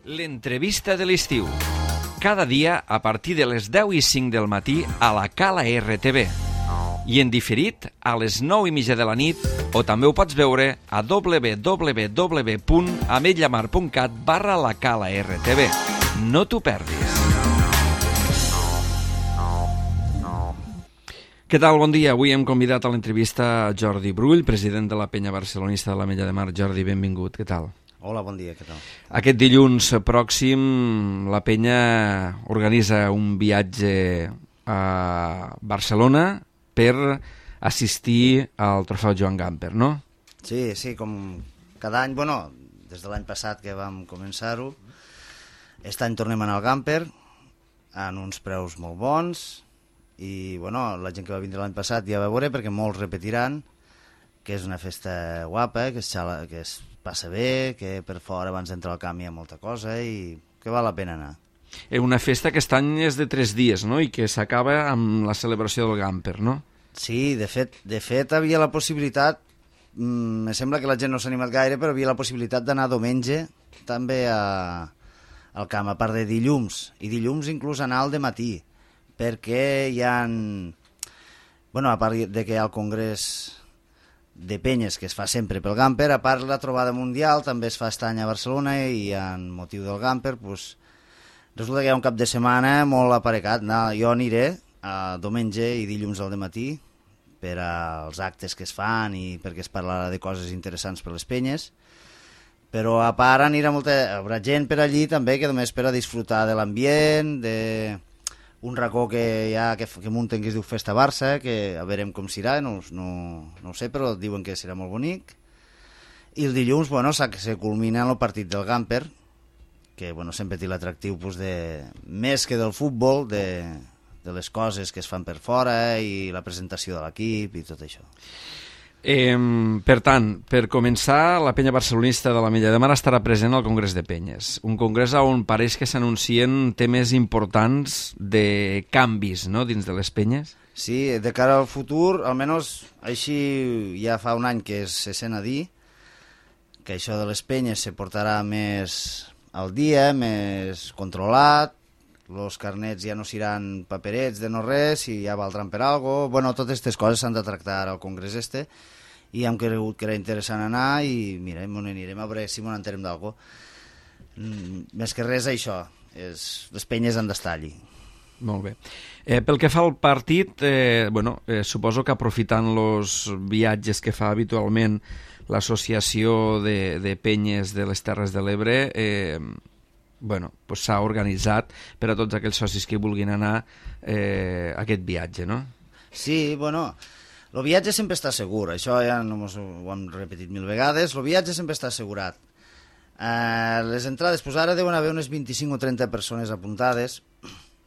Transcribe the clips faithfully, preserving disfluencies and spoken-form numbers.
L'entrevista de l'estiu. Cada dia a partir de les deu i cinc del matí a la Cala R T V. I en diferit a les nou i mitja de la nit, o també ho pots veure a w w w punt ametlla mar punt cat barra la Cala R T V. No t'ho perdis. Què tal? Bon dia. Avui hem convidat a l'entrevista Jordi Brull, president de la penya barcelonista de l'Ametlla de Mar. Jordi, benvingut. Què tal? Hola, bon dia, què tal? Aquest dilluns pròxim la penya organitza un viatge a Barcelona per assistir al trofeu Joan Gamper, no? Sí, sí, com cada any, bueno, des de l'any passat que vam començar-ho, aquest any tornem a anar al Gamper en uns preus molt bons i, bueno, la gent que va vindre l'any passat ja va veure perquè molts repetiran que és una festa guapa, que es, xala, que es passa bé, que per fora abans d'entrar al camp hi ha molta cosa i que val la pena anar. Una festa que aquest any és de tres dies, no? I que s'acaba amb la celebració del Gamper, no? Sí, de fet, de fet havia la possibilitat, mmm, me sembla que la gent no s'ha animat gaire, però havia la possibilitat d'anar diumenge també a, al camp, a part de dilluns, i dilluns inclús anar al dematí, perquè hi ha... Bueno, a part de que hi ha el congrés de penyes que es fa sempre pel Gamper, a part la trobada mundial també es fa aquest any a Barcelona i en motiu del Gamper pues, resulta que hi ha un cap de setmana molt aparecat. No, jo aniré a diumenge i dilluns al dematí per als actes que es fan i perquè es parlarà de coses interessants per les penyes, però a part anirà molta, hi haurà gent per allí també que només per a disfrutar de l'ambient, de un racó que hi ha que, que munten que es diu Festa Barça, que a veurem com serà, no, no, no ho sé, però diuen que serà molt bonic. I el dilluns, bueno, se culmina el partit del Gamper, que bueno, sempre té l'atractiu pues, de, més que del futbol, de, de les coses que es fan per fora i la presentació de l'equip i tot això. Eh, per tant, per començar, la penya barcelonista de l'Ametlla de Mar estarà present al Congrés de Penyes. Un congrés on pareix que s'anuncien temes importants de canvis, no?, dins de les penyes. Sí, de cara al futur, almenys així ja fa un any que se sent a dir que això de les penyes se portarà més al dia, més controlat, els carnets ja no seran paperets de no res i ja valdran per algo. Bueno, totes aquestes coses s'han de tractar al congrés este i hem cregut que era interessant anar i mira, m'on anirem a veure si m'on enterem d'algo. Mm, més que res això, és, les penyes han d'estar allí. Molt bé. Eh, pel que fa al partit, eh, bueno, eh, suposo que aprofitant els viatges que fa habitualment l'associació de, de penyes de les Terres de l'Ebre, eh, bueno, pues s'ha organitzat per a tots aquells socis que vulguin anar eh, a aquest viatge, no? Sí, bueno, el viatge sempre està segur, això ja no mos ho hem repetit mil vegades, el viatge sempre està assegurat. Eh, les entrades, pues ara deuen haver unes vint-i-cinc o trenta persones apuntades,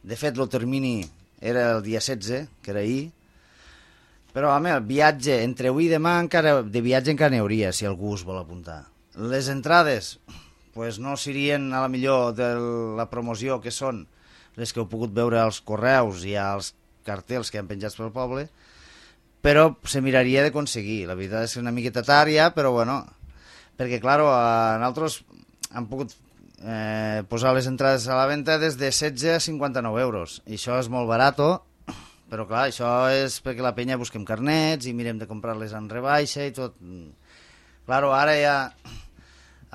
de fet el termini era el dia setze, que era ahir, però home, el viatge, entre avui i demà encara, de viatge encara n'hi hauria, si algú es vol apuntar. Les entrades pues no serien a la millor de la promoció que són les que heu pogut veure als correus i als cartells que han penjats pel poble, però se miraria d'aconseguir. La veritat és que és una miqueta tard ja, però bueno, perquè clar, nosaltres hem pogut eh, posar les entrades a la venda des de setze a cinquanta-nou euros, i això és molt barat, però clar, això és perquè la penya busquem carnets i mirem de comprar-les en rebaixa i tot. Clar, ara ja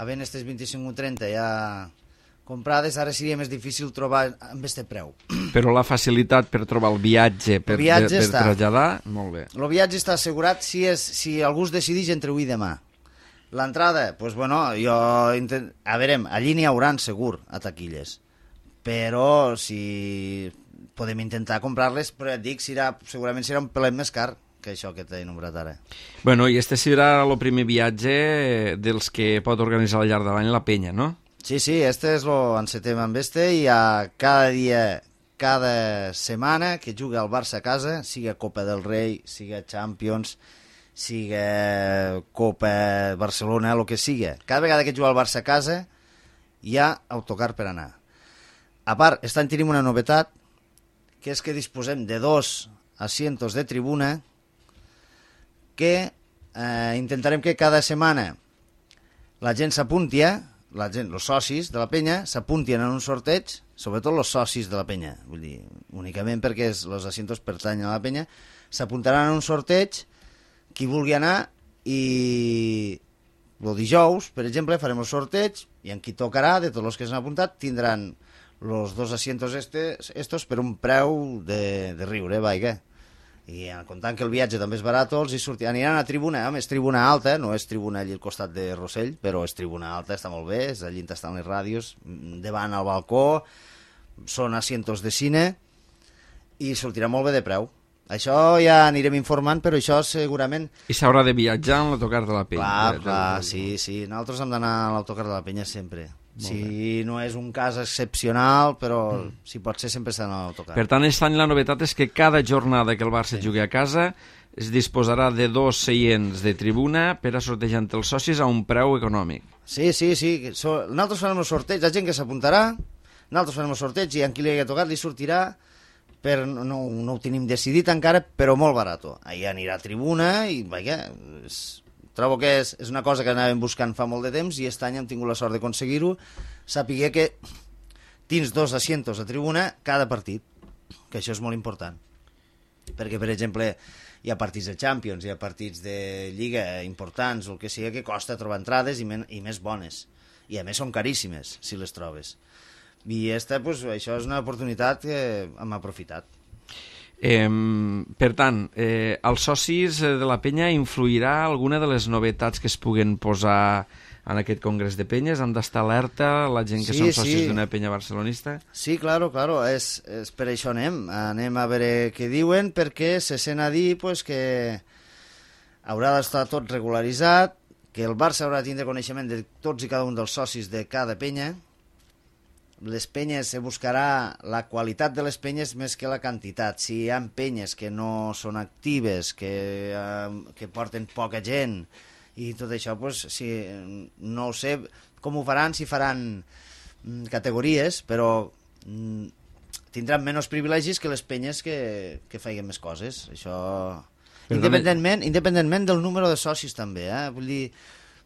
havent aquestes vint-i-cinc o trenta ja comprades, ara seria més difícil trobar amb aquest preu. Però la facilitat per trobar el viatge, per, el viatge de, per traslladar, molt bé. El viatge està assegurat si, és, si algú es decideix entre avui i demà. L'entrada, doncs pues, bueno, jo... Intent... A veure, allí n'hi hauran segur a taquilles, però si podem intentar comprar-les, però et dic, serà, segurament serà un pelet més car que això que t'he nombrat ara. Bueno, i este serà el primer viatge dels que pot organitzar al llarg de l'any la penya, no? Sí, sí, este és lo encetem amb este i a cada dia, cada setmana que juga el Barça a casa, siga Copa del Rei, siga Champions, siga Copa Barcelona, el que siga. Cada vegada que juga el Barça a casa hi ha autocar per anar. A part, aquest any tenim una novetat, que és que disposem de dos asientos de tribuna que eh, intentarem que cada setmana la gent s'apunti la gent, els socis de la penya, s'apuntin en un sorteig, sobretot els socis de la penya, vull dir, únicament perquè els asientos pertanyen a la penya, s'apuntaran en un sorteig, qui vulgui anar, i el dijous, per exemple, farem el sorteig, i en qui tocarà, de tots els que s'han apuntat, tindran els dos asientos estes, estos per un preu de, de riure, vaja. I comptant que el viatge també és barat, els hi sortir, aniran a tribuna, home, és tribuna alta, no és tribuna allà al costat de Rossell, però és tribuna alta, està molt bé, és allà on estan les ràdios, davant al balcó, són asientos de cine, i sortirà molt bé de preu. Això ja anirem informant, però això segurament... I s'haurà de viatjar en l'autocar de la Penya. Clar, de, clar, de... sí, sí, nosaltres hem d'anar a l'autocar de la Penya sempre. Si no és un cas excepcional, però mm. si pot ser sempre s'ha d'anar a l'autocar. Per tant, aquest any la novetat és que cada jornada que el Barça sí. jugui a casa es disposarà de dos seients de tribuna per a sortejar entre els socis a un preu econòmic. Sí, sí, sí. So, nosaltres farem el sorteig, la gent que s'apuntarà, nosaltres farem el sorteig i a qui li hagi tocat li sortirà, per, no, no ho tenim decidit encara, però molt barat. Allà anirà a tribuna i, vaja, és... trobo que és, és una cosa que anàvem buscant fa molt de temps i aquest any hem tingut la sort d'aconseguir-ho, sapiguer que tens dos asientos a tribuna cada partit, que això és molt important. Perquè, per exemple, hi ha partits de Champions, hi ha partits de Lliga importants, o el que sigui, que costa trobar entrades i, men i més bones. I a més són caríssimes, si les trobes. I esta, pues, això és una oportunitat que hem aprofitat. Eh, per tant, eh, als socis de la penya influirà alguna de les novetats que es puguen posar en aquest congrés de penyes? Han d'estar alerta la gent que sí, són socis sí. d'una penya barcelonista? Sí, claro, claro, és, és per això anem. Anem a veure què diuen, perquè se sent a dir pues, que haurà d'estar tot regularitzat, que el Barça haurà de tindre coneixement de tots i cada un dels socis de cada penya. Les penyes, se buscarà la qualitat de les penyes més que la quantitat. Si hi ha penyes que no són actives, que, eh, que porten poca gent i tot això, pues, si, no ho sé com ho faran, si faran mm, categories, però mm, tindran menys privilegis que les penyes que, que feien més coses. Això... Independentment, independentment del número de socis també, eh? Vull dir,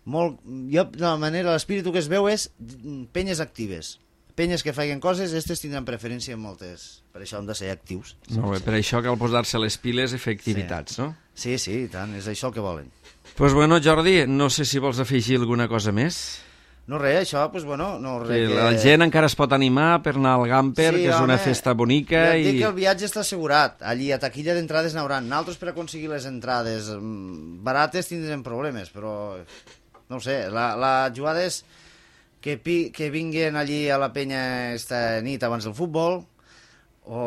molt, jo, de la manera, l'espíritu que es veu és penyes actives. Penyes que feien coses, aquestes tindran preferència en moltes. Per això han de ser actius. Molt bé, per això cal posar-se les piles i fer activitats, sí. no? Sí, sí, i tant, és això el que volen. Doncs pues bueno, Jordi, no sé si vols afegir alguna cosa més. No res, això, doncs pues bueno... No, res que que... La gent encara es pot animar per anar al Gamper, sí, que és home, una festa bonica. Ja et dic i... que el viatge està assegurat. Allí a taquilla d'entrades n'hauran. Nosaltres per aconseguir les entrades barates tindrem problemes, però no ho sé, la, la jugada és... Que, pi, que vinguin allí a la penya esta nit abans del futbol, o,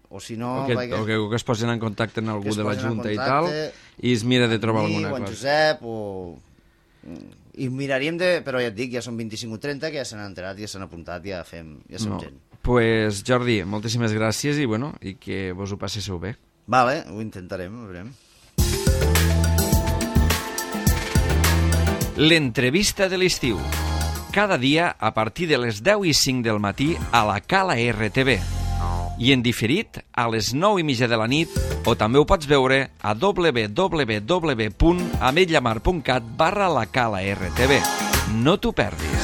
o si no... O que, vaig... o que, o que es posin en contacte amb algú de la Junta i tal, i es mira de trobar mi, alguna o cosa. en Josep, o... I miraríem de... Però ja et dic, ja són vint-i-cinc o trenta, que ja s'han enterat, ja s'han apuntat, ja fem, ja som no. gent. Pues, Jordi, moltíssimes gràcies i, bueno, i que vos ho passéssiu bé. Vale, ho intentarem, ho veurem. L'entrevista de l'estiu. Cada dia a partir de les deu i cinc del matí a la Cala R T V. I en diferit a les nou i mitja de la nit, o també ho pots veure a w w w punt ametlllamar punt cat barra la Cala R T V. No t'ho perdis.